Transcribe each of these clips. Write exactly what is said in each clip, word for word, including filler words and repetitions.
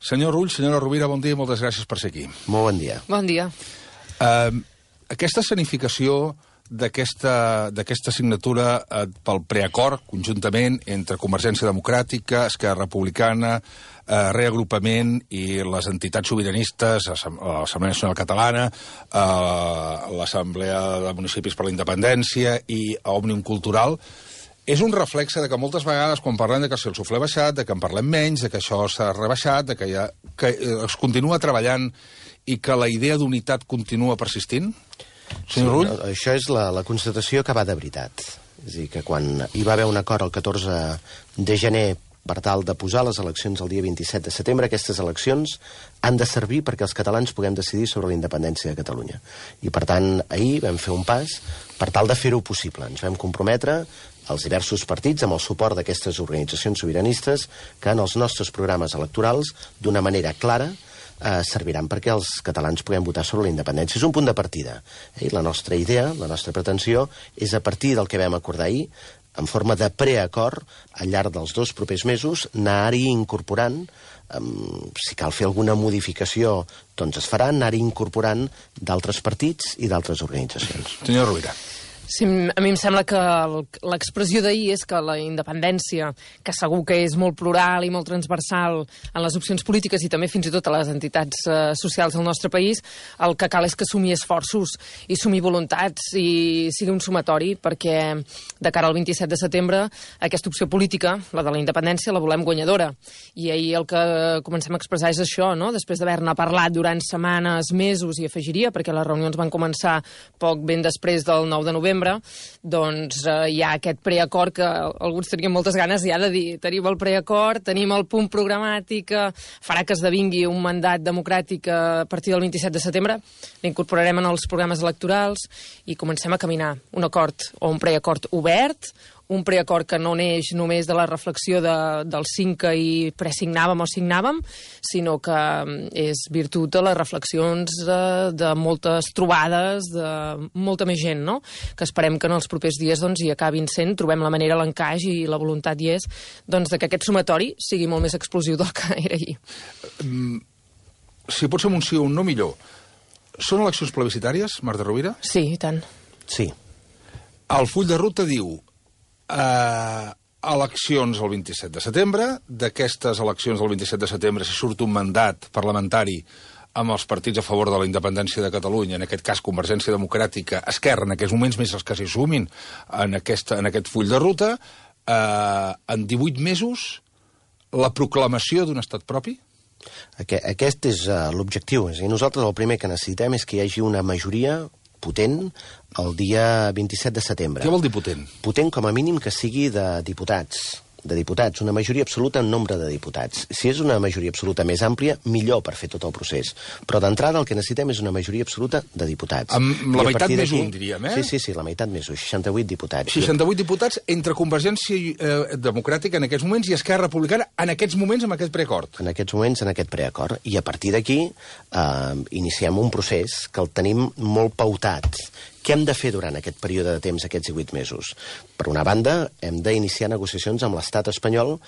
Senyor Rull, senyora Rovira, bon dia i moltes gràcies per ser aquí. Molt bon dia. Bon dia. Uh, aquesta escenificació d'aquesta signatura uh, pel preacord, conjuntament, entre Convergència Democràtica, Esquerra Republicana, uh, Reagrupament i les entitats sobiranistes, l'Assemblea Nacional Catalana, uh, l'Assemblea de Municipis per la Independència i Òmnium Cultural, és un reflexe de que moltes vegades, quan parlem de que si el suflé ha baixat, de que en parlem menys, de que això s'ha rebaixat, de que, ja, que es continua treballant i que la idea d'unitat continua persistint? Senyor Rull? Sí, això és la, la constatació que va de veritat. És a dir, que quan hi va haver un acord el catorze de gener per tal de posar les eleccions el dia vint-i-set de setembre, aquestes eleccions han de servir perquè els catalans puguem decidir sobre la independència de Catalunya. I, per tant, ahir vam fer un pas per tal de fer-ho possible. Ens vam comprometre els diversos partits amb el suport d'aquestes organitzacions sobiranistes que en els nostres programes electorals, d'una manera clara, eh, serviran perquè els catalans puguem votar sobre la independència. És un punt de partida. Eh? La nostra idea, la nostra pretensió, és a partir del que vam acordar ahir, en forma de preacord, al llarg dels dos propers mesos, anar-hi incorporant, um, si cal fer alguna modificació, doncs es farà, anar-hi incorporant d'altres partits i d'altres organitzacions. Senyor Rovira. Sí, a mi em sembla que l'expressió d'ahir és que la independència, que segur que és molt plural i molt transversal en les opcions polítiques i també fins i tot a les entitats eh, socials del nostre país, el que cal és que sumi esforços i sumi voluntats i sigui un sumatori, perquè de cara al vint-i-set de setembre aquesta opció política, la de la independència, la volem guanyadora. I ahir el que comencem a expressar és això, no? Després d'haver-ne parlat durant setmanes, mesos, i afegiria, perquè les reunions van començar poc ben després del nou de novembre, doncs eh, hi ha aquest preacord que alguns tenien moltes ganes ja de dir, tenim el preacord, tenim el punt programàtic que farà que esdevingui un mandat democràtic a partir del vint-i-set de setembre, l'incorporarem en els programes electorals i comencem a caminar un acord o un preacord obert, un preacord que no neix només de la reflexió de, del cinc que hi presignàvem o signàvem, sinó que és virtut de les reflexions de, de moltes trobades, de molta més gent, no? Que esperem que en els propers dies doncs, hi acabin sent, trobem la manera, l'encaix i la voluntat hi és, doncs, de que aquest sumatori sigui molt més explosiu del que era ahir. Mm, si pot ser un sí o un no, millor. Són eleccions plebiscitàries, Marta Rovira? Sí, i tant. Sí. El full de ruta diu Uh, eleccions el vint-i-set de setembre. D'aquestes eleccions del vint-i-set de setembre, si surt un mandat parlamentari amb els partits a favor de la independència de Catalunya, en aquest cas Convergència Democràtica, Esquerra, en aquests moments més els que s'hi sumin en, aquesta, en aquest full de ruta, uh, en divuit mesos, la proclamació d'un estat propi? Aquest és uh, l'objectiu. És a dir, nosaltres el primer que necessitem és que hi hagi una majoria potent el dia vint-i-set de setembre. Què vol dir potent? Potent com a mínim que sigui de diputats. de diputats, una majoria absoluta en nombre de diputats. Si és una majoria absoluta més àmplia, millor per fer tot el procés. Però d'entrada el que necessitem és una majoria absoluta de diputats. Amb la meitat més un, diríem, eh? Sí, sí, sí, la meitat més un, seixanta-vuit diputats. seixanta-vuit diputats entre Convergència eh, Democràtica en aquests moments i Esquerra Republicana en aquests moments amb aquest preacord. En aquests moments, en aquest preacord. I a partir d'aquí eh, iniciem un procés que el tenim molt pautat. Què hem de fer durant aquest període de temps, aquests divuit mesos? Per una banda, hem d'iniciar negociacions amb l'estat espanyol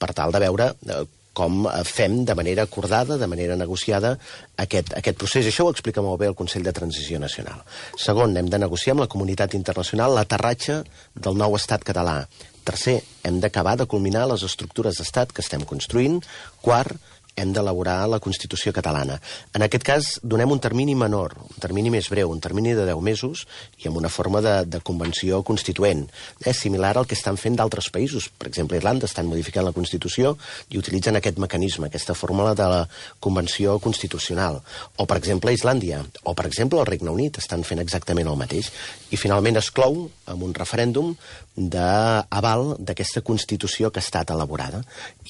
per tal de veure eh, com fem de manera acordada, de manera negociada, aquest, aquest procés. Això ho explica molt bé el Consell de Transició Nacional. Segon, hem de negociar amb la comunitat internacional l'aterratge del nou estat català. Tercer, hem d'acabar de culminar les estructures d'estat que estem construint. Quart, hem d'elaborar la Constitució catalana. En aquest cas, donem un termini menor, un termini més breu, un termini de deu mesos, i amb una forma de, de convenció constituent. És similar al que estan fent d'altres països. Per exemple, Irlanda estan modificant la Constitució i utilitzen aquest mecanisme, aquesta fórmula de la convenció constitucional. O, per exemple, Islàndia, o, per exemple, el Regne Unit estan fent exactament el mateix. I, finalment, es clou amb un referèndum d'aval d'aquesta Constitució que ha estat elaborada.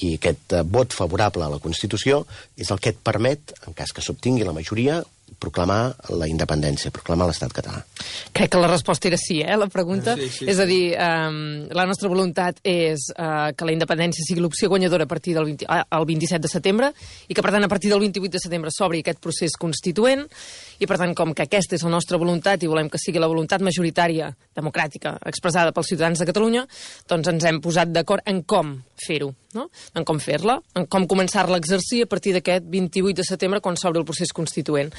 I aquest vot favorable a la Constitució és el que et permet, en cas que s'obtingui la majoria, proclamar la independència, proclamar l'estat català. Crec que la resposta era sí, eh, la pregunta. Sí, sí, és a sí. dir, eh, la nostra voluntat és eh, que la independència sigui l'opció guanyadora a partir del vint, eh, el vint-i-set de setembre i que, per tant, a partir del vint-i-vuit de setembre s'obri aquest procés constituent i, per tant, com que aquesta és la nostra voluntat i volem que sigui la voluntat majoritària democràtica expressada pels ciutadans de Catalunya, doncs ens hem posat d'acord en com fer-ho, no? En com fer-la, en com començar-la a exercir a partir d'aquest vint-i-vuit de setembre quan s'obre el procés constituent.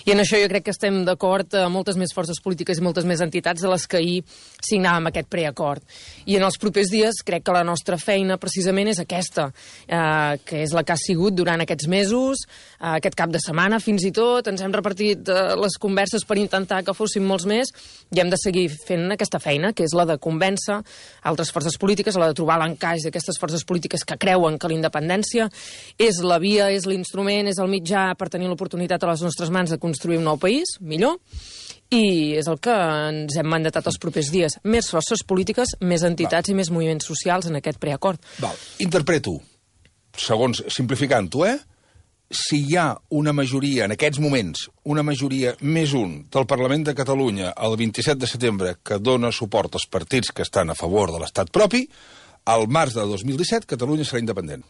I en això jo crec que estem d'acord a moltes més forces polítiques i moltes més entitats de les que ahir signàvem aquest preacord. I en els propers dies crec que la nostra feina precisament és aquesta, eh, que és la que ha sigut durant aquests mesos, eh, aquest cap de setmana fins i tot, ens hem repartit eh, les converses per intentar que fossin molts més i hem de seguir fent aquesta feina, que és la de convèncer altres forces polítiques, la de trobar l'encaix d'aquestes forces polítiques que creuen que la independència és la via, és l'instrument, és el mitjà per tenir l'oportunitat a les nostres mans de construir un nou país, millor, i és el que ens hem mandatat els propers dies. Més forces polítiques, més entitats Val. I més moviments socials en aquest preacord. Val. Interpreto, segons simplificant-ho, eh? Si hi ha una majoria, en aquests moments, una majoria més un del Parlament de Catalunya el vint-i-set de setembre que dona suport als partits que estan a favor de l'estat propi, al març de dos mil disset Catalunya serà independent.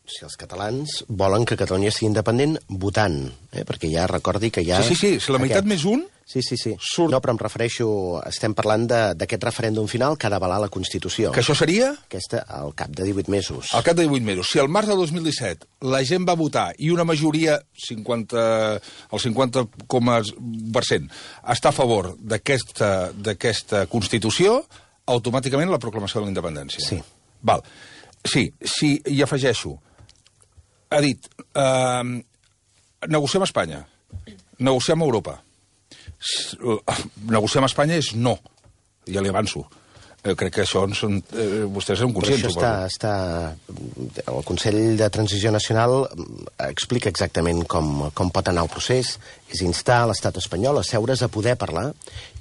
Si els catalans volen que Catalunya sigui independent votant, eh? Perquè ja recordi que ja... Sí, sí, sí, si la meitat aquest... més un... Sí, sí, sí. Surt... No, però em refereixo... Estem parlant d'aquest referèndum final que ha d'avalar la Constitució. Que això seria? Aquesta, al cap de divuit mesos. Al cap de divuit mesos. Si al març de dos mil disset la gent va votar i una majoria, cinquanta, el cinquanta per cent, està a favor d'aquesta d'aquesta Constitució, automàticament la proclamació de la independència. Sí. Val. Sí, sí, hi afegeixo. Ha dit, eh, negociem a Espanya, negociem a Europa. Negociar amb Espanya és no, ja li avanço. Eh, crec que això són, eh, vostès són conscients. Però això està, està... El Consell de Transició Nacional explica exactament com, com pot anar el procés. És instar l'estat espanyol a seure's a poder parlar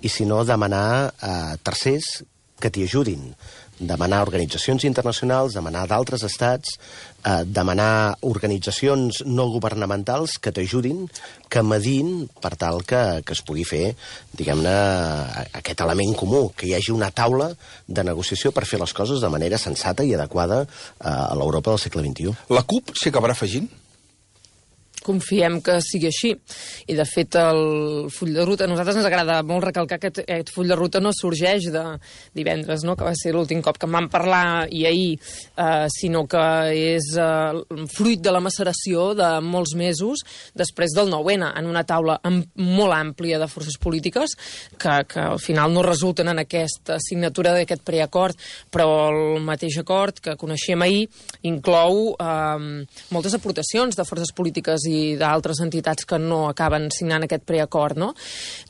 i, si no, demanar a tercers que t'hi ajudin. Demanar organitzacions internacionals, demanar d'altres estats, eh, demanar organitzacions no governamentals que t'ajudin, que medin per tal que, que es pugui fer, diguem-ne, aquest element comú, que hi hagi una taula de negociació per fer les coses de manera sensata i adequada eh, a l'Europa del segle vint-i-u. La CUP s'hi acabarà afegint? Confiem que sigui així. I, de fet, el full de ruta... A nosaltres ens agrada molt recalcar que aquest full de ruta no sorgeix de divendres, no?, que va ser l'últim cop que en vam parlar, i ahir, eh, sinó que és eh, fruit de la maceració de molts mesos després del nou ene, en una taula amb, molt àmplia de forces polítiques que, que al final no resulten en aquesta signatura d'aquest preacord, però el mateix acord que coneixíem ahir inclou eh, moltes aportacions de forces polítiques i d'altres entitats que no acaben signant aquest preacord, no?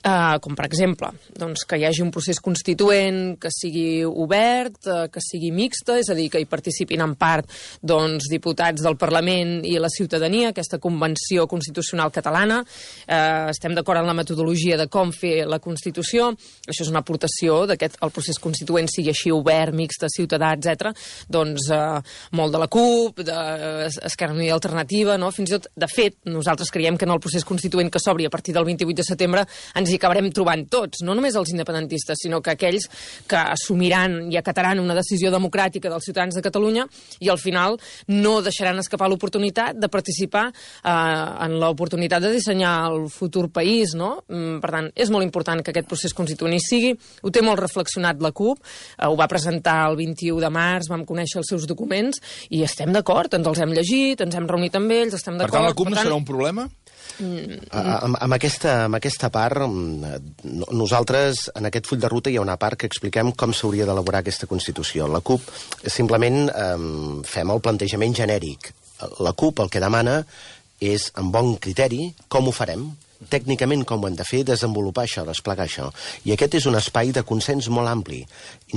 Eh, com, per exemple, doncs, que hi hagi un procés constituent que sigui obert, eh, que sigui mixta, és a dir, que hi participin en part doncs, diputats del Parlament i la ciutadania, aquesta Convenció Constitucional Catalana. Eh, estem d'acord en la metodologia de com fer la Constitució. Això és una aportació d'aquest el procés constituent sigui així obert, mixta, ciutadà, etcètera. Doncs eh, molt de la CUP, d'Esquerra Unida i Alternativa, no? Fins i tot, de fet, nosaltres creiem que en el procés constituent que s'obri a partir del vint-i-vuit de setembre ens hi acabarem trobant tots, no només els independentistes, sinó que aquells que assumiran i acataran una decisió democràtica dels ciutadans de Catalunya i al final no deixaran escapar l'oportunitat de participar eh, en l'oportunitat de dissenyar el futur país, no? Per tant, és molt important que aquest procés constituent hi sigui. Ho té molt reflexionat la CUP, eh, ho va presentar el vint-i-u de març, vam conèixer els seus documents i estem d'acord, ens els hem llegit, ens hem reunit amb ells, estem d'acord. Per tant, la CUP no serà un problema? Mm. Amb, amb, aquesta, amb aquesta part, nosaltres, en aquest full de ruta, hi ha una part que expliquem com s'hauria d'elaborar aquesta Constitució. La CUP simplement eh, fem el plantejament genèric. La CUP el que demana és, amb bon criteri, com ho farem, tècnicament com ho hem de fer, desenvolupar això, desplegar això. I aquest és un espai de consens molt ampli.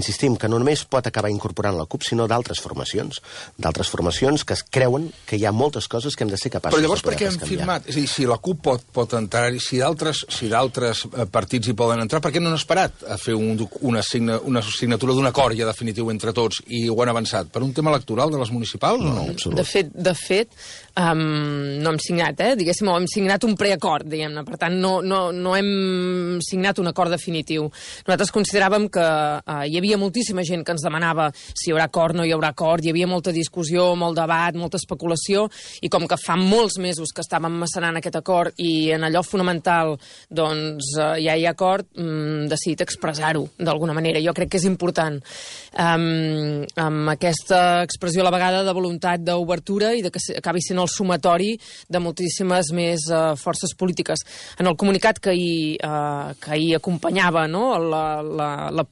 Insistim que no només pot acabar incorporant la CUP, sinó d'altres formacions. D'altres formacions que es creuen que hi ha moltes coses que hem de ser capaços de poder canviar. Però llavors per què hem firmat? És a dir, si la CUP pot, pot entrar, si d'altres si d'altres partits hi poden entrar, per què no han esperat a fer un, una, signa, una signatura d'un acord ja definitiu entre tots i ho han avançat? Per un tema electoral de les municipals o no? No, de fet, de fet um, no hem signat, eh? Diguéssim, o hem signat un preacord, diguem-ne. Per tant, no, no, no hem signat un acord definitiu. Nosaltres consideràvem que uh, hi havia moltíssima gent que ens demanava si hi haurà acord, no hi haurà acord, hi havia molta discussió, molt debat, molta especulació, i com que fa molts mesos que estàvem macerant aquest acord i en allò fonamental doncs uh, ja hi ha acord, um, decidit expressar-ho d'alguna manera. Jo crec que és important. Um, amb aquesta expressió a la vegada de voluntat d'obertura i de que acabi sent el sumatori de moltíssimes més uh, forces polítiques. En el comunicat que hi, uh, que hi acompanyava, no?, la, la, la,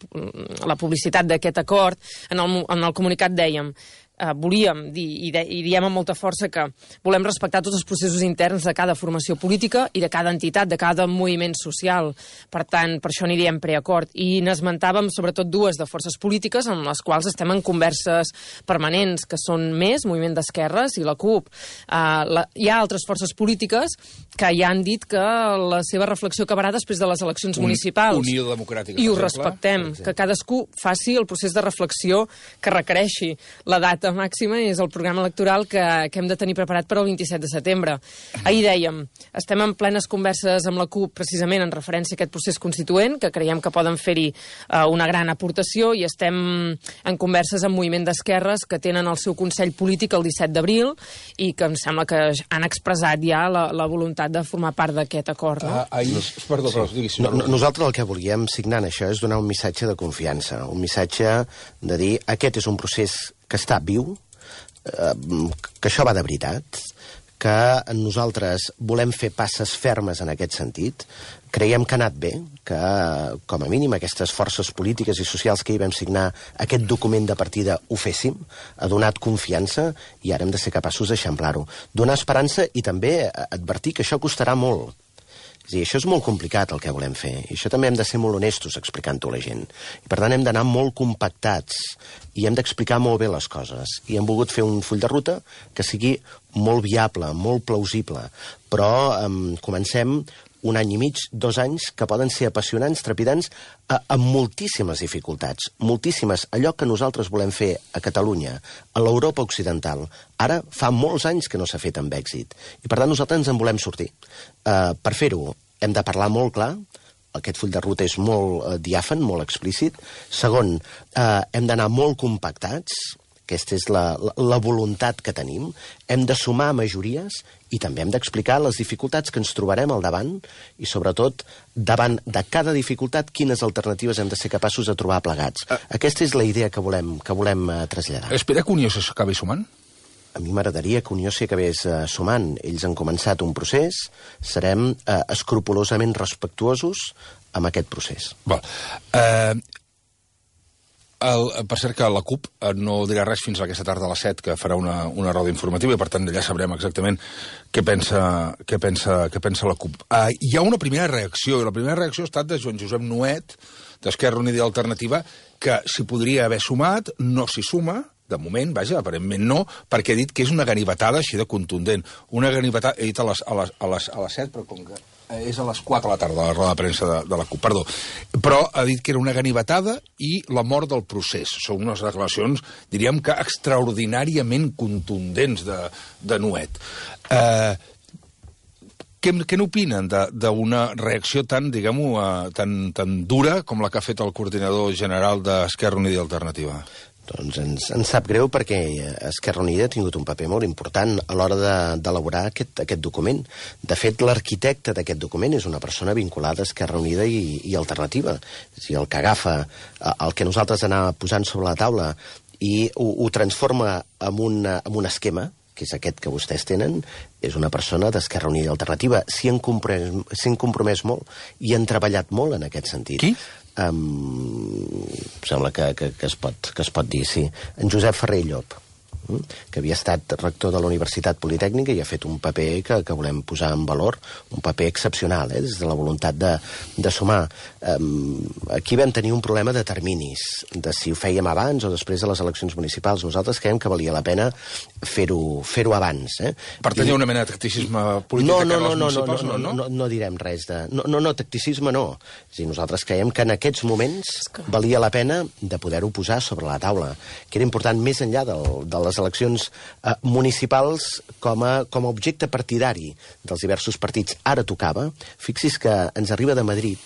la publicitat d'aquest acord, en el, en el comunicat dèiem Uh, volíem dir, i, de, i diem amb molta força, que volem respectar tots els processos interns de cada formació política i de cada entitat, de cada moviment social. Per tant, per això n'hi diem preacord. I n'esmentàvem sobretot dues de forces polítiques amb les quals estem en converses permanents, que són Més, Moviment d'Esquerres, i la CUP. Uh, la, hi ha altres forces polítiques que ja han dit que la seva reflexió acabarà després de les eleccions Un, municipals. Unió Democràtica, I ho respectem, que cadascú faci el procés de reflexió que requereixi. La data màxima és el programa electoral que, que hem de tenir preparat per al vint-i-set de setembre. Ahir dèiem, estem en plenes converses amb la CUP precisament en referència a aquest procés constituent, que creiem que poden fer-hi uh, una gran aportació, i estem en converses amb Moviment d'Esquerres, que tenen el seu Consell Polític el disset d'abril i que em sembla que han expressat ja la, la voluntat de formar part d'aquest acord. No? Uh, ahir... Perdó, però, sí. no, no, nosaltres el que volíem signar en això és donar un missatge de confiança, un missatge de dir aquest és un procés que està viu, eh, que això va de veritat, que nosaltres volem fer passes fermes en aquest sentit. Creiem que ha anat bé, que, com a mínim, aquestes forces polítiques i socials que hi vam signar aquest document de partida ho féssim, ha donat confiança i ara hem de ser capaços d'eixamplar-ho. Donar esperança i també advertir que això costarà molt. És a dir, això és molt complicat el que volem fer, i això també hem de ser molt honestos explicant-ho a la gent. I per tant hem d'anar molt compactats i hem d'explicar molt bé les coses. I hem volgut fer un full de ruta que sigui molt viable, molt plausible, però um, comencem un any i mig, dos anys, que poden ser apassionants, trepidants, a, amb moltíssimes dificultats, moltíssimes. Allò que nosaltres volem fer a Catalunya, a l'Europa occidental, ara fa molts anys que no s'ha fet amb èxit. I per tant nosaltres ens en volem sortir. Uh, per fer-ho hem de parlar molt clar, aquest full de ruta és molt uh, diàfan, molt explícit. Segon, uh, hem d'anar molt compactats, aquesta és la, la, la voluntat que tenim. Hem de sumar majories i també hem d'explicar les dificultats que ens trobarem al davant i, sobretot, davant de cada dificultat, quines alternatives hem de ser capaços de trobar plegats. Uh, Aquesta és la idea que volem, que volem uh, traslladar. Espera que Unió s'acabi sumant? A mi m'agradaria que Unió s'hi acabés uh, sumant. Ells han començat un procés, serem uh, escrupolosament respectuosos amb aquest procés. Val. Eh... El, per cert que la CUP no dirà res fins a aquesta tarda a les set, que farà una, una roda informativa, i per tant allà sabrem exactament què pensa, què pensa, què pensa la CUP. Uh, hi ha una primera reacció, i la primera reacció ha estat de Joan Josep Nuet, d'Esquerra Unida i Alternativa, que s'hi podria haver sumat, no s'hi suma, de moment, vaja, aparentment no, perquè ha dit que és una ganivetada així de contundent. Una ganivetada, he dit a les, a les, a les, a les set, però com que és a les quatre de la tarda, la roda de premsa de, de la CUP, perdó. Però ha dit que era una ganivetada i la mort del procés. Són unes declaracions, diríem que extraordinàriament contundents de, de Nuet. Eh, què, què n'opinen d'una reacció tan, diguem-ho, uh, tan, tan dura com la que ha fet el coordinador general d'Esquerra Unida i Alternativa? Doncs ens, ens sap greu perquè Esquerra Unida ha tingut un paper molt important a l'hora d'elaborar de, aquest, aquest document. De fet, l'arquitecte d'aquest document és una persona vinculada a Esquerra Unida i, i Alternativa. És a dir, el que agafa el que nosaltres anàvem posant sobre la taula i ho, ho transforma en un, en un esquema, que és aquest que vostès tenen, és una persona d'Esquerra Unida i Alternativa. S'hi han, han compromès molt i han treballat molt en aquest sentit. Qui? Um, sembla que, que, que, es pot, que es pot dir, sí. En Josep Ferrer i Llop, que havia estat rector de la Universitat Politècnica i ha fet un paper que, que volem posar en valor, un paper excepcional, eh, des de la voluntat de, de sumar. Um, aquí vam tenir un problema de terminis, de si ho fèiem abans o després de les eleccions municipals. Nosaltres creiem que valia la pena fer-ho fer-ho abans. Eh? Per tenir I... una mena de tacticisme polític no, de cara no, als no, municipals, no, no, no, no, no, no direm res de... No, no, no, tacticisme no. És a dir, nosaltres creiem que en aquests moments valia la pena de poder-ho posar sobre la taula, que era important més enllà del, de les les eleccions eh, municipals com a, com a objecte partidari dels diversos partits. Ara tocava, fixi's que ens arriba de Madrid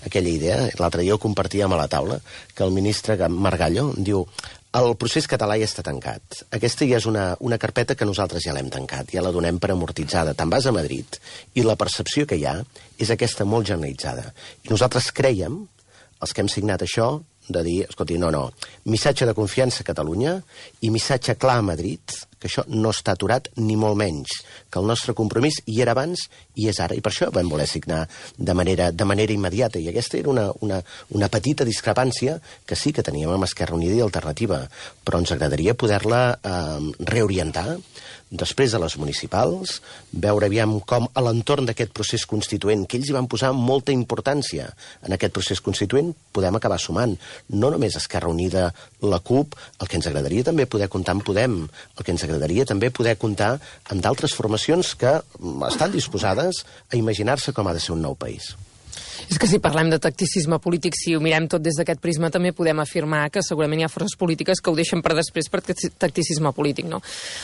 aquella idea, l'altre dia ho compartíem a la taula, que el ministre Margallo diu: el procés català ja està tancat. Aquesta ja és una, una carpeta que nosaltres ja l'hem tancat, ja la donem per amortitzada. Te'n vas a Madrid i la percepció que hi ha és aquesta molt generalitzada. I nosaltres creiem, els que hem signat això, de dir, escolti, no, no, missatge de confiança a Catalunya i missatge clar a Madrid, que això no està aturat ni molt menys, que el nostre compromís hi era abans i és ara, i per això vam voler signar de manera, de manera immediata, i aquesta era una, una, una petita discrepància que sí que teníem amb Esquerra Unida i Alternativa, però ens agradaria poder-la eh, reorientar després de les municipals, veure aviam com a l'entorn d'aquest procés constituent, que ells hi van posar molta importància en aquest procés constituent, podem acabar sumant. No només Esquerra Unida, la CUP, el que ens agradaria també poder comptar amb Podem, el que ens agradaria també poder comptar amb d'altres formacions que estan disposades a imaginar-se com ha de ser un nou país. És que si parlem de tacticisme polític, si ho mirem tot des d'aquest prisma, també podem afirmar que segurament hi ha forces polítiques que ho deixen per després per tacticisme polític, no?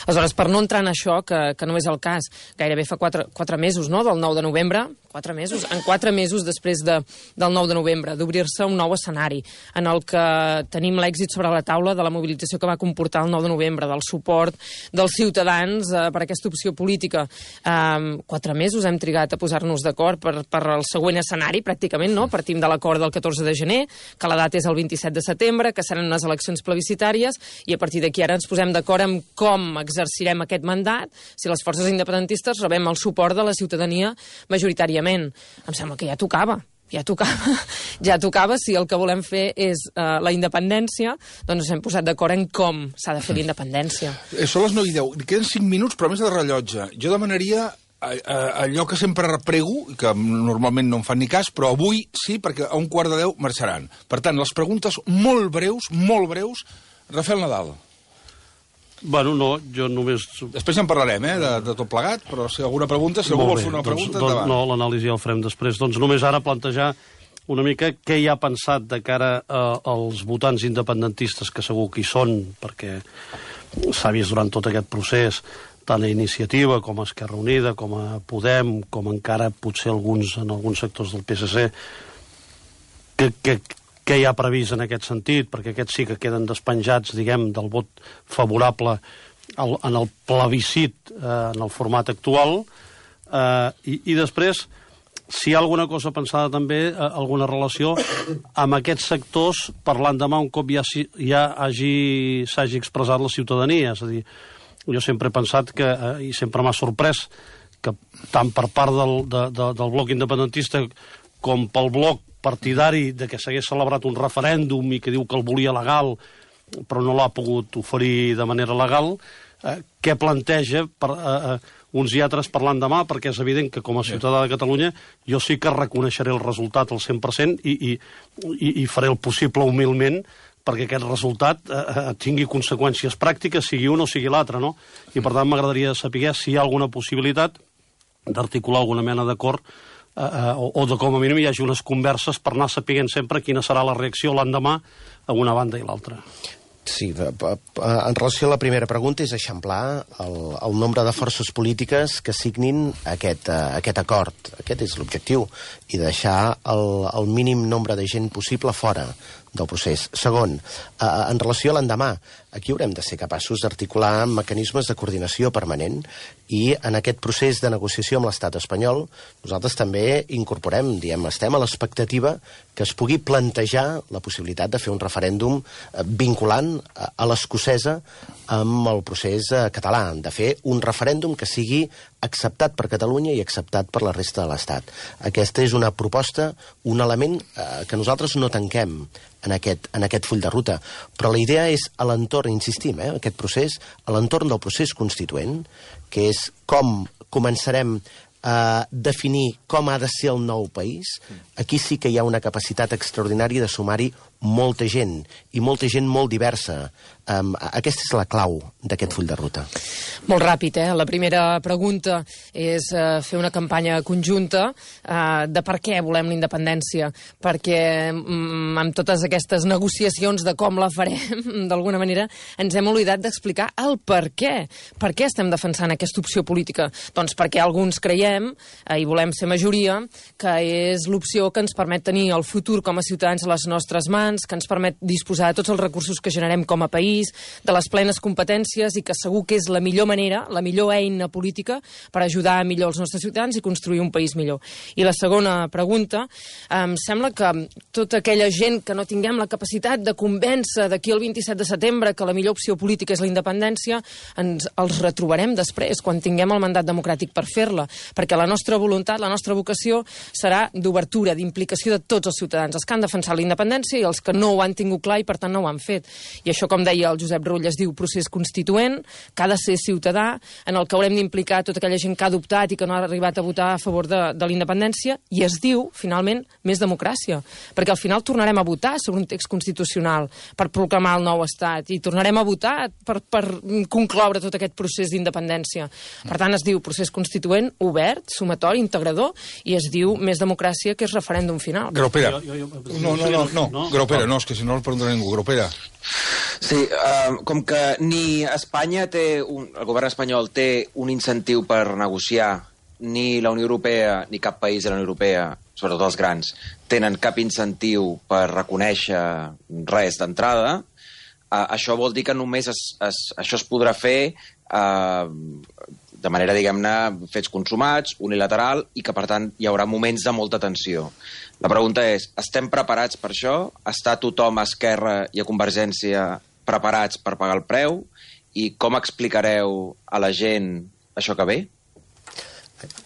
Aleshores, per no entrar en això, que, que no és el cas, gairebé fa quatre, quatre mesos, no?, del nou de novembre, quatre mesos, en quatre mesos després de, del nou de novembre, d'obrir-se un nou escenari, en el que tenim l'èxit sobre la taula de la mobilització que va comportar el nou de novembre, del suport dels ciutadans eh, per aquesta opció política. Eh, quatre mesos hem trigat a posar-nos d'acord per, per el següent escenari, pràcticament, no? Partim de l'acord del catorze de gener, que la data és el vint-i-set de setembre, que seran unes eleccions plebiscitàries, i a partir d'aquí ara ens posem d'acord en com exercirem aquest mandat, si les forces independentistes rebem el suport de la ciutadania majoritàriament. Em sembla que ja tocava. Ja tocava, ja tocava, si el que volem fer és uh, la independència, doncs ens hem posat d'acord en com s'ha de fer la independència. Eh, són les nou i deu, queden cinc minuts, però més de rellotge. Jo demanaria allò que sempre reprego, que normalment no em fan ni cas, però avui sí, perquè a un quart de deu marxaran. Per tant, les preguntes molt breus, molt breus. Rafael Nadal. Bueno, no, jo només... Després en parlarem, eh, de, de tot plegat, però si alguna pregunta, si algú vol fer una pregunta, doncs, endavant. No, l'anàlisi ja el farem després. Doncs només ara plantejar una mica què hi ha pensat de cara a, als votants independentistes, que segur que hi són, perquè s'ha vist durant tot aquest procés, tant a Iniciativa com a Esquerra Unida, com a Podem, com encara potser alguns en alguns sectors del P S C, que, que, que hi ha previst en aquest sentit, perquè aquests sí que queden despenjats, diguem, del vot favorable al, en el plebiscit, eh, en el format actual, eh, i, i després, si hi ha alguna cosa pensada també, eh, alguna relació amb aquests sectors per l'endemà un cop ja, ja hagi, s'hagi expressat la ciutadania, és a dir, jo sempre he pensat que, eh, i sempre m'ha sorprès, que tant per part del, de, de, del bloc independentista com pel bloc partidari de que s'hagués celebrat un referèndum i que diu que el volia legal, però no l'ha pogut oferir de manera legal, eh, què planteja per, eh, eh, uns i altres per l'endemà, perquè és evident que com a ciutadà de Catalunya jo sí que reconeixeré el resultat al cent per cent i, i, i, i faré el possible humilment perquè aquest resultat eh, tingui conseqüències pràctiques, sigui un o sigui l'altre, no? I per tant m'agradaria saber si hi ha alguna possibilitat d'articular alguna mena d'acord eh, eh, o, o de com a mínim hi hagi unes converses per anar sapient sempre quina serà la reacció l'endemà a una banda i l'altra. Sí, en relació a la primera pregunta és eixamplar el, el nombre de forces polítiques que signin aquest, uh, aquest acord. Aquest és l'objectiu, i deixar el, el mínim nombre de gent possible fora del procés. Segon, uh, en relació a l'endemà, aquí haurem de ser capaços d'articular mecanismes de coordinació permanent, i en aquest procés de negociació amb l'estat espanyol nosaltres també incorporem, diem, estem a l'expectativa que es pugui plantejar la possibilitat de fer un referèndum vinculant a l'escocesa amb el procés català, de fer un referèndum que sigui acceptat per Catalunya i acceptat per la resta de l'Estat. Aquesta és una proposta, un element eh, que nosaltres no tanquem en aquest, en aquest full de ruta, però la idea és a l'entorn, insistim, eh, aquest procés, a l'entorn del procés constituent, que és com començarem a definir com ha de ser el nou país. Aquí sí que hi ha una capacitat extraordinària de sumar-hi molta gent, i molta gent molt diversa. Um, aquesta és la clau d'aquest full de ruta. Molt ràpid, eh? La primera pregunta és uh, fer una campanya conjunta uh, de per què volem la independència, perquè um, amb totes aquestes negociacions de com la farem, d'alguna manera, ens hem oblidat d'explicar el per què. Per què estem defensant aquesta opció política? Doncs perquè alguns creiem, uh, i volem ser majoria, que és l'opció que ens permet tenir el futur com a ciutadans a les nostres mans, que ens permet disposar de tots els recursos que generem com a país, de les plenes competències, i que segur que és la millor manera, la millor eina política per ajudar millor els nostres ciutadans i construir un país millor. I la segona pregunta, em sembla que tota aquella gent que no tinguem la capacitat de convèncer d'aquí el vint-i-set de setembre que la millor opció política és la independència, ens els retrobarem després, quan tinguem el mandat democràtic per fer-la, perquè la nostra voluntat, la nostra vocació serà d'obertura, d'implicació de tots els ciutadans, els que han defensat la independència i els que no ho han tingut clar i per tant no ho han fet. I això, com deia el Josep Rull, es diu procés constituent, que ha de ser ciutadà, en el que haurem d'implicar tota aquella gent que ha adoptat i que no ha arribat a votar a favor de, de la independència, i es diu, finalment, més democràcia, perquè al final tornarem a votar sobre un text constitucional per proclamar el nou estat, i tornarem a votar per, per concloure tot aquest procés d'independència. Per tant, es diu procés constituent, obert, sumatori, integrador, i es diu més democràcia, que és referèndum final. Graupera. No, no, no, no, no. Graupera, no, és que si no el preguntarà ningú. Graupera. Sí, uh, com que ni Espanya té, un, el govern espanyol té un incentiu per negociar, ni la Unió Europea ni cap país de la Unió Europea, sobretot els grans, tenen cap incentiu per reconèixer res d'entrada, uh, això vol dir que només es, es, això es podrà fer uh, de manera, diguem-ne, fets consumats, unilateral, i que, per tant, hi haurà moments de molta tensió. La pregunta és, estem preparats per això? Està tothom a Esquerra i a Convergència preparats per pagar el preu? I com explicareu a la gent això que ve?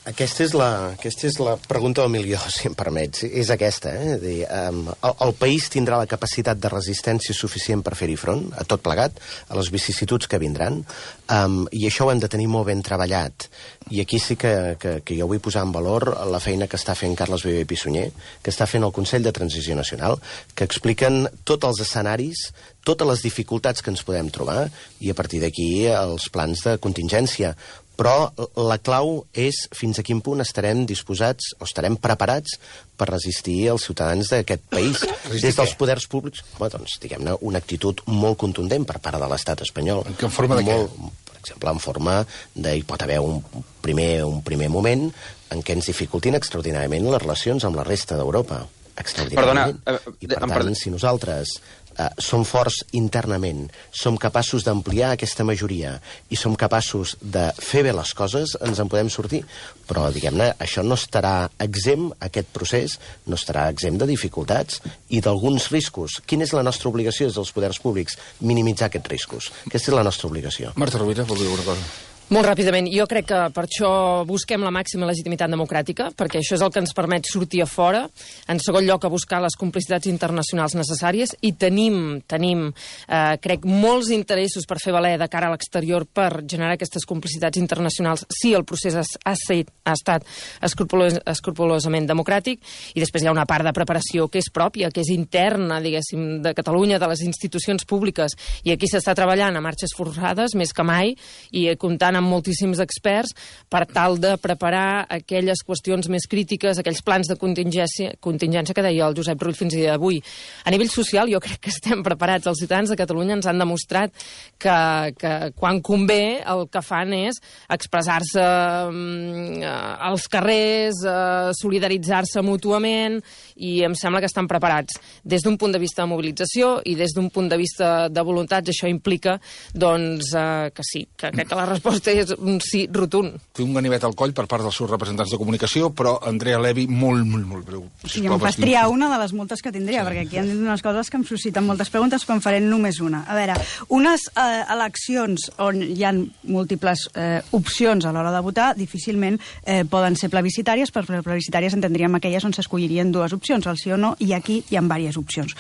Aquesta és, la, aquesta és la pregunta del milió, si em permets. És aquesta, eh? Dir, um, el, el país tindrà la capacitat de resistència suficient per fer-hi front, a tot plegat, a les vicissituds que vindran, um, i això ho hem de tenir molt ben treballat. I aquí sí que, que, que jo vull posar en valor la feina que està fent Carles Viver i Pissunyer, que està fent el Consell de Transició Nacional, que expliquen tots els escenaris, totes les dificultats que ens podem trobar, i a partir d'aquí els plans de contingència. Però la clau és fins a quin punt estarem disposats o estarem preparats per resistir els ciutadans d'aquest país. Des dels poders públics, bueno, doncs, diguem-ne, una actitud molt contundent per part de l'estat espanyol. En quina forma de molt, què? Per exemple, en forma de... Hi pot haver un primer, un primer moment en què ens dificultin extraordinàriament les relacions amb la resta d'Europa. Extraordinàriament. Perdona, eh, I, per tant, si nosaltres Uh, som forts internament, som capaços d'ampliar aquesta majoria i som capaços de fer bé les coses, ens en podem sortir. Però, diguem-ne, això no estarà exempt, aquest procés, no estarà exempt de dificultats i d'alguns riscos. Quina és la nostra obligació des dels poders públics? Minimitzar aquests riscos. Aquesta és la nostra obligació. Marta Rovira, vol dir alguna cosa? Molt ràpidament, jo crec que per això busquem la màxima legitimitat democràtica, perquè això és el que ens permet sortir a fora, en segon lloc a buscar les complicitats internacionals necessàries, i tenim, tenim eh, crec, molts interessos per fer valer de cara a l'exterior per generar aquestes complicitats internacionals si el procés ha, ha, set, ha estat escrupolós, escrupolosament democràtic, i després hi ha una part de preparació que és pròpia, que és interna, diguéssim, de Catalunya, de les institucions públiques, i aquí s'està treballant a marxes forçades, més que mai, i comptant amb moltíssims experts per tal de preparar aquelles qüestions més crítiques, aquells plans de contingència, contingència que deia el Josep Rull fins a dia d'avui. A nivell social jo crec que estem preparats. Els ciutadans de Catalunya ens han demostrat que, que quan convé el que fan és expressar-se um, als carrers, uh, solidaritzar-se mútuament, i em sembla que estan preparats. Des d'un punt de vista de mobilització i des d'un punt de vista de voluntats, això implica doncs, uh, que sí, que crec que la resposta és un sí rotund. Té un ganivet al coll per part dels seus representants de comunicació, però Andrea Levy, molt, molt, molt breu. Sí, em fas triar una de les moltes que tindria, sí. Perquè aquí han dit unes coses que em susciten moltes preguntes, però en faré només una. A veure, unes eh, eleccions on hi ha múltiples eh, opcions a l'hora de votar, difícilment eh, poden ser plebiscitàries, però plebiscitàries entendríem aquelles on s'escollirien dues opcions, el sí o no, i aquí hi ha diverses opcions.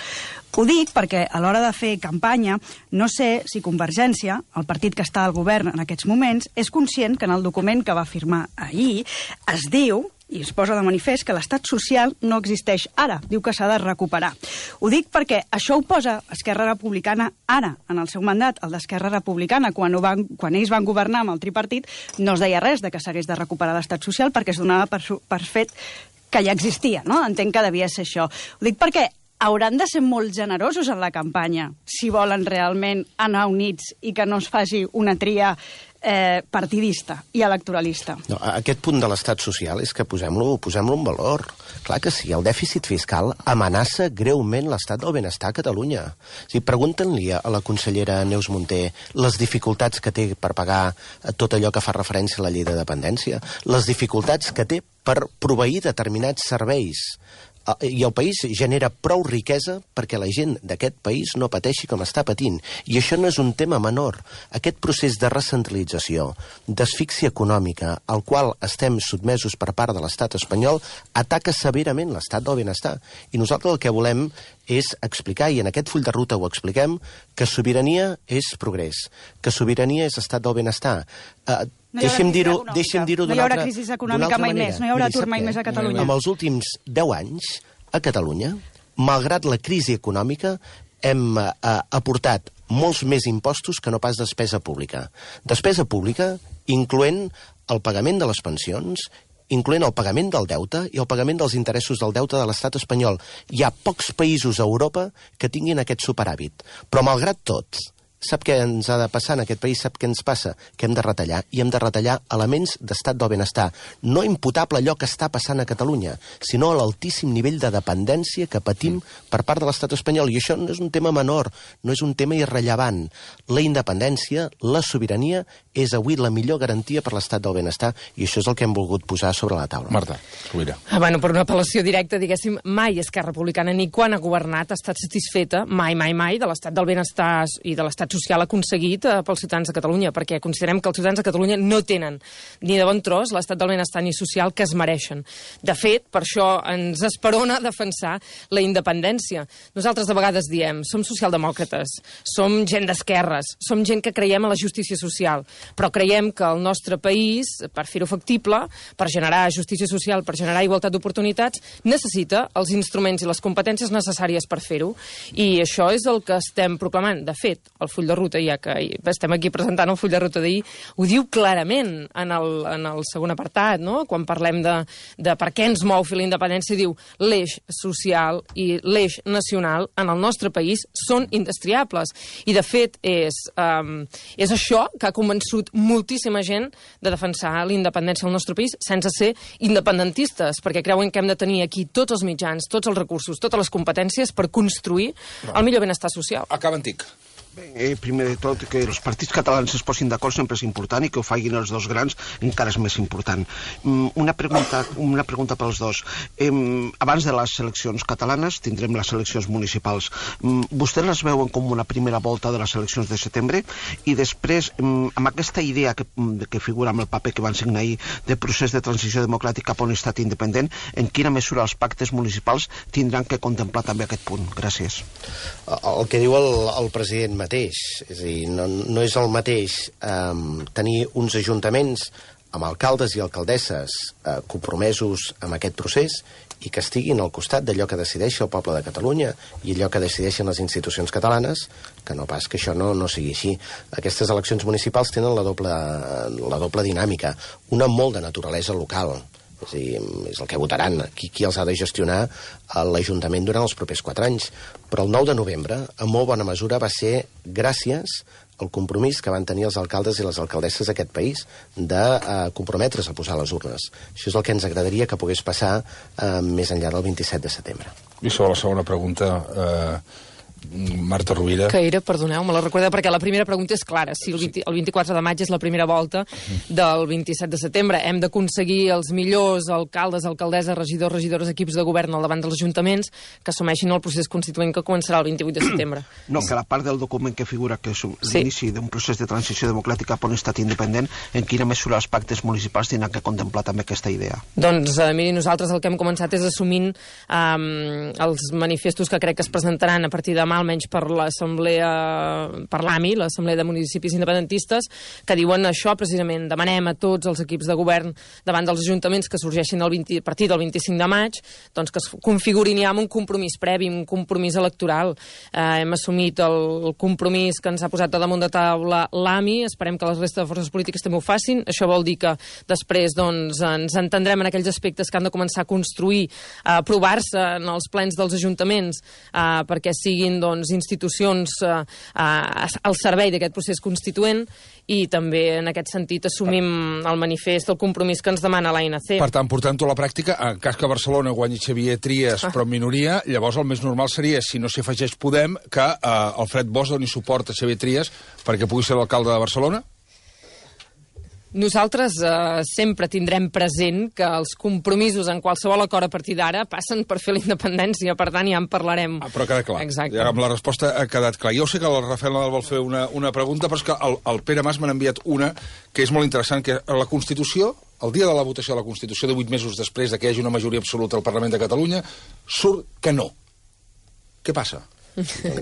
Ho dic perquè a l'hora de fer campanya no sé si Convergència, el partit que està al govern en aquests moments, és conscient que en el document que va firmar ahir es diu, i es posa de manifest, que l'estat social no existeix ara. Diu que s'ha de recuperar. Ho dic perquè això ho posa Esquerra Republicana ara, en el seu mandat. El d'Esquerra Republicana, quan, ho van, quan ells van governar amb el tripartit, no es deia res de que s'hagués de recuperar l'estat social perquè es donava per, per fet que ja existia, no? Entenc que devia ser això. Ho dic perquè hauran de ser molt generosos en la campanya si volen realment anar units i que no es faci una tria eh, partidista i electoralista. No, aquest punt de l'estat social és que posem-lo posem-lo en valor. Clar que sí, el dèficit fiscal amenaça greument l'estat del benestar a Catalunya. O sigui, pregunten-li a la consellera Neus Munté les dificultats que té per pagar tot allò que fa referència a la llei de dependència, les dificultats que té per proveir determinats serveis. I el país genera prou riquesa perquè la gent d'aquest país no pateixi com està patint. I això no és un tema menor. Aquest procés de recentralització, d'asfíxia econòmica, al qual estem sotmesos per part de l'estat espanyol, ataca severament l'estat del benestar. I nosaltres el que volem és explicar, i en aquest full de ruta ho expliquem, que sobirania és progrés, que sobirania és estat del benestar. Uh, No deixem dir-ho deixem dir-ho no hi haurà crisi econòmica mai més, no hi haurà atur mai més a Catalunya. En els últims deu anys, a Catalunya, malgrat la crisi econòmica, hem eh, aportat molts més impostos que no pas despesa pública. Despesa pública incloent el pagament de les pensions, incloent el pagament del deute i el pagament dels interessos del deute de l'estat espanyol. Hi ha pocs països a Europa que tinguin aquest superàvit. Però, malgrat tot, sap què ens ha de passar en aquest país? Sap què ens passa? Que hem de retallar, i hem de retallar elements d'estat del benestar. No imputable allò que està passant a Catalunya, sinó a l'altíssim nivell de dependència que patim per part de l'estat espanyol. I això no és un tema menor, no és un tema irrellevant. La independència, la sobirania, és avui la millor garantia per l'estat del benestar, i això és el que hem volgut posar sobre la taula. Marta, Rovira. Ah, bueno, per una apel·lació directa, diguéssim, mai Esquerra Republicana, ni quan ha governat, ha estat satisfeta, mai, mai, mai, de l'estat del benestar i de l'estat social aconseguit eh, pels ciutadans de Catalunya, perquè considerem que els ciutadans de Catalunya no tenen ni de bon tros l'estat del benestar ni social que es mereixen. De fet, per això ens esperona defensar la independència. Nosaltres de vegades diem, som socialdemòcrates, som gent d'esquerres, som gent que creiem en la justícia social, però creiem que el nostre país, per fer-ho factible, per generar justícia social, per generar igualtat d'oportunitats, necessita els instruments i les competències necessàries per fer-ho. I això és el que estem proclamant. De fet, el full de ruta, ja que estem aquí presentant el full de ruta d'ahir, ho diu clarament en el, en el segon apartat, no? Quan parlem de, de per què ens mou fer la independència, diu l'eix social i l'eix nacional en el nostre país són indestriables. I, de fet, és, um, és això que ha convençut moltíssima gent de defensar la independència del nostre país sense ser independentistes, perquè creuen que hem de tenir aquí tots els mitjans, tots els recursos, totes les competències per construir no. el millor benestar social. Acaba antic. Bé, eh, primer de tot, que els partits catalans es posin d'acord sempre és important, i que ho facin els dos grans encara és més important. Mm, una pregunta, una pregunta pels dos. Eh, abans de les eleccions catalanes tindrem les eleccions municipals. Mm, vostès les veuen com una primera volta de les eleccions de setembre, i després, mm, amb aquesta idea que, que figura amb el paper que van signar ahir de procés de transició democràtica cap a un estat independent, en quina mesura els pactes municipals tindran que contemplar també aquest punt? Gràcies. El que diu el, el president mateix, és a dir, no, no és el mateix eh, tenir uns ajuntaments amb alcaldes i alcaldesses eh, compromesos amb aquest procés i que estiguin al costat d'allò que decideixi el poble de Catalunya i allò que decideixen les institucions catalanes, que no pas que això no, no sigui així. Aquestes eleccions municipals tenen la doble, la doble dinàmica, una molt de naturalesa local. És a dir, és el que votaran, qui, qui els ha de gestionar l'Ajuntament durant els propers quatre anys. Però el nou de novembre, en molt bona mesura, va ser gràcies al compromís que van tenir els alcaldes i les alcaldesses d'aquest país de eh, comprometre's a posar les urnes. Això és el que ens agradaria que pogués passar eh, més enllà del vint-i-set de setembre. I sobre la segona pregunta, eh, Marta Rovira. Que era, perdoneu, me la recordeu, perquè la primera pregunta és clara. Si el, vint, el vint-i-quatre de maig és la primera volta del vint-i-set de setembre, hem d'aconseguir els millors alcaldes, alcaldesses, regidors, regidores, equips de govern al davant dels ajuntaments que assumeixin el procés constituent que començarà el vint-i-vuit de setembre. No, que la part del document que figura que és l'inici sí. d'un procés de transició democràtica per un estat independent, en quina mesura els pactes municipals tindran que contemplar també aquesta idea? Doncs, eh, miri, nosaltres el que hem començat és assumint eh, els manifestos que crec que es presentaran a partir de demà, almenys per l'Assemblea, per l'A M I, l'Assemblea de Municipis Independentistes, que diuen això precisament. Demanem a tots els equips de govern davant dels ajuntaments que sorgeixin el vint, a partir del vint-i-cinc de maig, doncs que es configurin ja amb un compromís previ, un compromís electoral. Eh, hem assumit el, el compromís que ens ha posat a damunt de taula l'A M I, esperem que les restes de forces polítiques també ho facin. Això vol dir que després doncs, ens entendrem en aquells aspectes que han de començar a construir, a aprovar-se en els plens dels ajuntaments, eh, perquè siguin doncs, institucions eh, al servei d'aquest procés constituent, i també en aquest sentit assumim el manifest, el compromís que ens demana l'A N C. Per tant, portant-ho a la pràctica, en cas que Barcelona guanyi Xavier Trias, ah. però en minoria, llavors el més normal seria, si no s'hi afegeix Podem, que eh, Alfred Bosch doni suport a Xavier Trias perquè pugui ser l'alcalde de Barcelona? Nosaltres eh, sempre tindrem present que els compromisos en qualsevol acord a partir d'ara passen per fer la independència, per tant ja en parlarem. Ah, però queda clar. Exacte. Ja amb la resposta ha quedat clar. Jo sé que el Rafael Nadal vol fer una, una pregunta, però és que el, el Pere Mas m'ha enviat una que és molt interessant, que la Constitució, el dia de la votació de la Constitució, de vuit mesos després de que hi hagi una majoria absoluta al Parlament de Catalunya, surt que no. Què passa?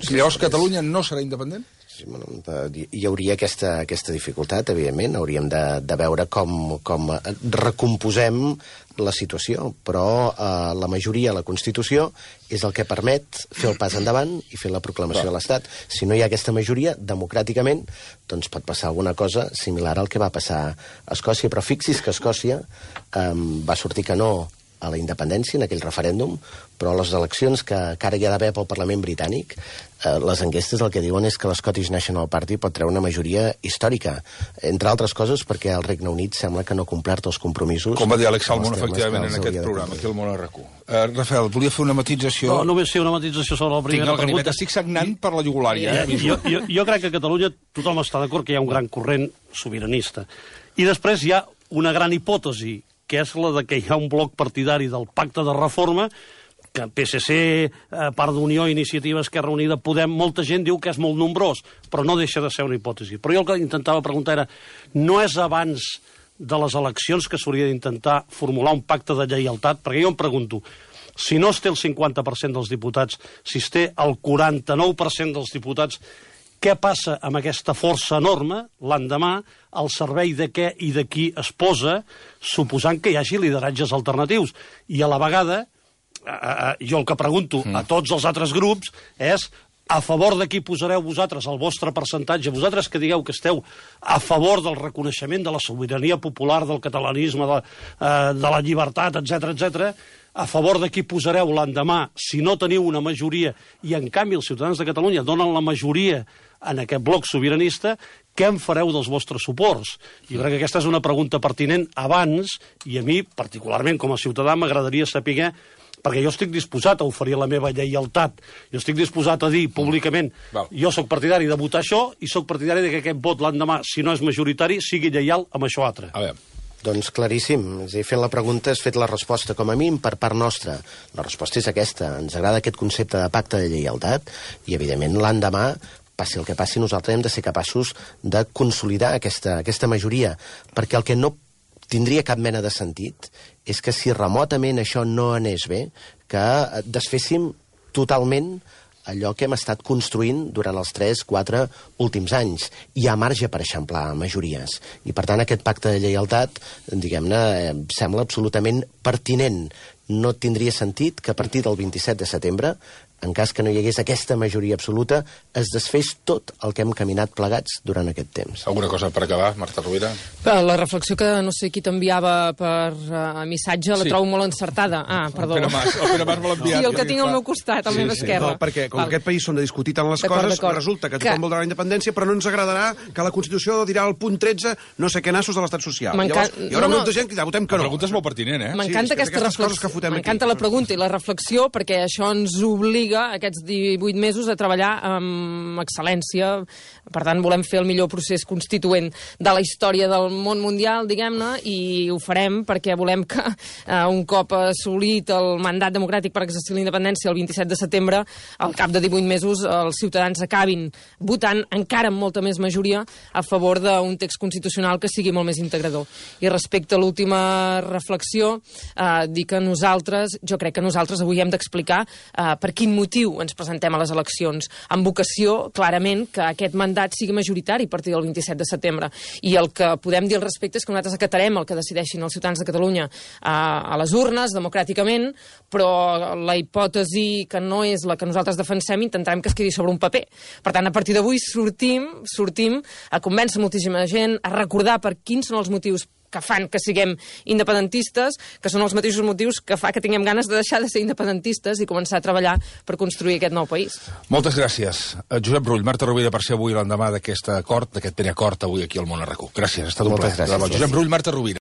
Llavors Catalunya no serà independent? Sí, bueno, hi hauria aquesta, aquesta dificultat, evidentment. Hauríem de, de veure com, com recomposem la situació, però eh, la majoria a la Constitució és el que permet fer el pas endavant i fer la proclamació de l'Estat. Si no hi ha aquesta majoria, democràticament, doncs pot passar alguna cosa similar al que va passar a Escòcia, però fixi's que Escòcia eh, va sortir que no a la independència en aquell referèndum, però les eleccions que, que ara hi ha d'haver pel Parlament britànic, eh, les enquestes el que diuen és que l'Scottish National Party pot treure una majoria històrica, entre altres coses perquè el Regne Unit sembla que no ha complert els compromisos. Com va dir Alex Salmond, efectivament, en aquest programa, aquí al Món R Q. Uh, Rafael, volia fer una matització... No, només fer una matització sobre la primera Tinc pregunta. Estic sagnant per la jugulària. Eh? Jo, jo, jo crec que a Catalunya tothom està d'acord que hi ha un gran corrent sobiranista. I després hi ha una gran hipòtesi, que és la de que hi ha un bloc partidari del pacte de reforma, que P S C, eh, part d'Unió, Iniciativa, Esquerra Unida, Podem, molta gent diu que és molt nombrós, però no deixa de ser una hipòtesi. Però jo el que intentava preguntar era, no és abans de les eleccions que s'hauria d'intentar formular un pacte de lleialtat? Perquè jo em pregunto, si no es té el cinquanta per cent dels diputats, si es té el quaranta-nou per cent dels diputats, què passa amb aquesta força enorme l'endemà, al servei de què i de qui es posa, suposant que hi hagi lideratges alternatius? I a la vegada, eh, jo el que pregunto mm. a tots els altres grups és a favor de qui posareu vosaltres el vostre percentatge, vosaltres que digueu que esteu a favor del reconeixement de la sobirania popular, del catalanisme, de, eh, de la llibertat, etcètera, etcètera, a favor de qui posareu l'endemà si no teniu una majoria i en canvi els ciutadans de Catalunya donen la majoria en aquest bloc sobiranista, què en fareu dels vostres suports? Jo crec que aquesta és una pregunta pertinent abans, i a mi, particularment com a ciutadà, m'agradaria saber, perquè jo estic disposat a oferir la meva lleialtat, jo estic disposat a dir públicament, Val. jo sóc partidari de votar això i sóc partidari de que aquest vot l'endemà, si no és majoritari, sigui lleial amb això altre. A veure. Doncs claríssim. És a dir, fent la pregunta has fet la resposta, com a mínim, per part nostra. La resposta és aquesta. Ens agrada aquest concepte de pacte de lleialtat i, evidentment, l'endemà, passi el que passi, nosaltres hem de ser capaços de consolidar aquesta, aquesta majoria, perquè el que no tindria cap mena de sentit és que si remotament això no anés bé, que desféssim totalment allò que hem estat construint durant els tres quatre últims anys. Hi ha marge per eixamplar majories. I, per tant, aquest pacte de lleialtat, diguem-ne, eh, sembla absolutament pertinent. No tindria sentit que a partir del vint-i-set de setembre, en cas que no hi hagués aquesta majoria absoluta, es desfés tot el que hem caminat plegats durant aquest temps. Alguna cosa per acabar, Marta Rovira? La reflexió que no sé qui t'enviava per uh, missatge la sí. trobo molt encertada. Ah, perdó. El Pere Mas, el Pere Mas me l'ha enviat. Sí, el que tinc al meu costat, al sí, meu sí. esquerra. No, perquè com Val. aquest país són de discutir tant les coses, resulta que tothom que... voldrà la independència, però no ens agradarà que la Constitució dirà al punt tretze no sé què nassos de l'estat social. Llavors, hi haurà no, no. molta gent que dirà, votem que no. La pregunta és molt pertinent, eh? M'encanta sí, aquesta reflexió. M'encanta la pregunta i la reflexió, perquè això ens obliga obliga aquests divuit mesos a treballar amb excel·lència. Per tant, volem fer el millor procés constituent de la història del món mundial, diguem-ne, i ho farem perquè volem que eh, un cop assolit el mandat democràtic per exercir la independència el vint-i-set de setembre, al cap de divuit mesos els ciutadans acabin votant encara amb molta més majoria a favor d'un text constitucional que sigui molt més integrador. I respecte a l'última reflexió, eh, dir que nosaltres, jo crec que nosaltres avui hem d'explicar eh, per quin motiu ens presentem a les eleccions, amb vocació, clarament, que aquest mandat sigui majoritari a partir del vint-i-set de setembre. I el que podem dir al respecte és que nosaltres acatarem el que decideixin els ciutadans de Catalunya a, a les urnes, democràticament, però la hipòtesi que no és la que nosaltres defensem intentarem que es quedi sobre un paper. Per tant, a partir d'avui sortim, sortim a convèncer moltíssima gent, a recordar per quins són els motius que fan que siguem independentistes, que són els mateixos motius que fa que tinguem ganes de deixar de ser independentistes i començar a treballar per construir aquest nou país. Moltes gràcies. Josep Rull, Marta Rovira, per ser avui l'endemà d'aquest acord, d'aquest primer acord avui aquí al Món a RAC u. Gràcies, ha estat un plaer. Josep Rull, Marta Rovira.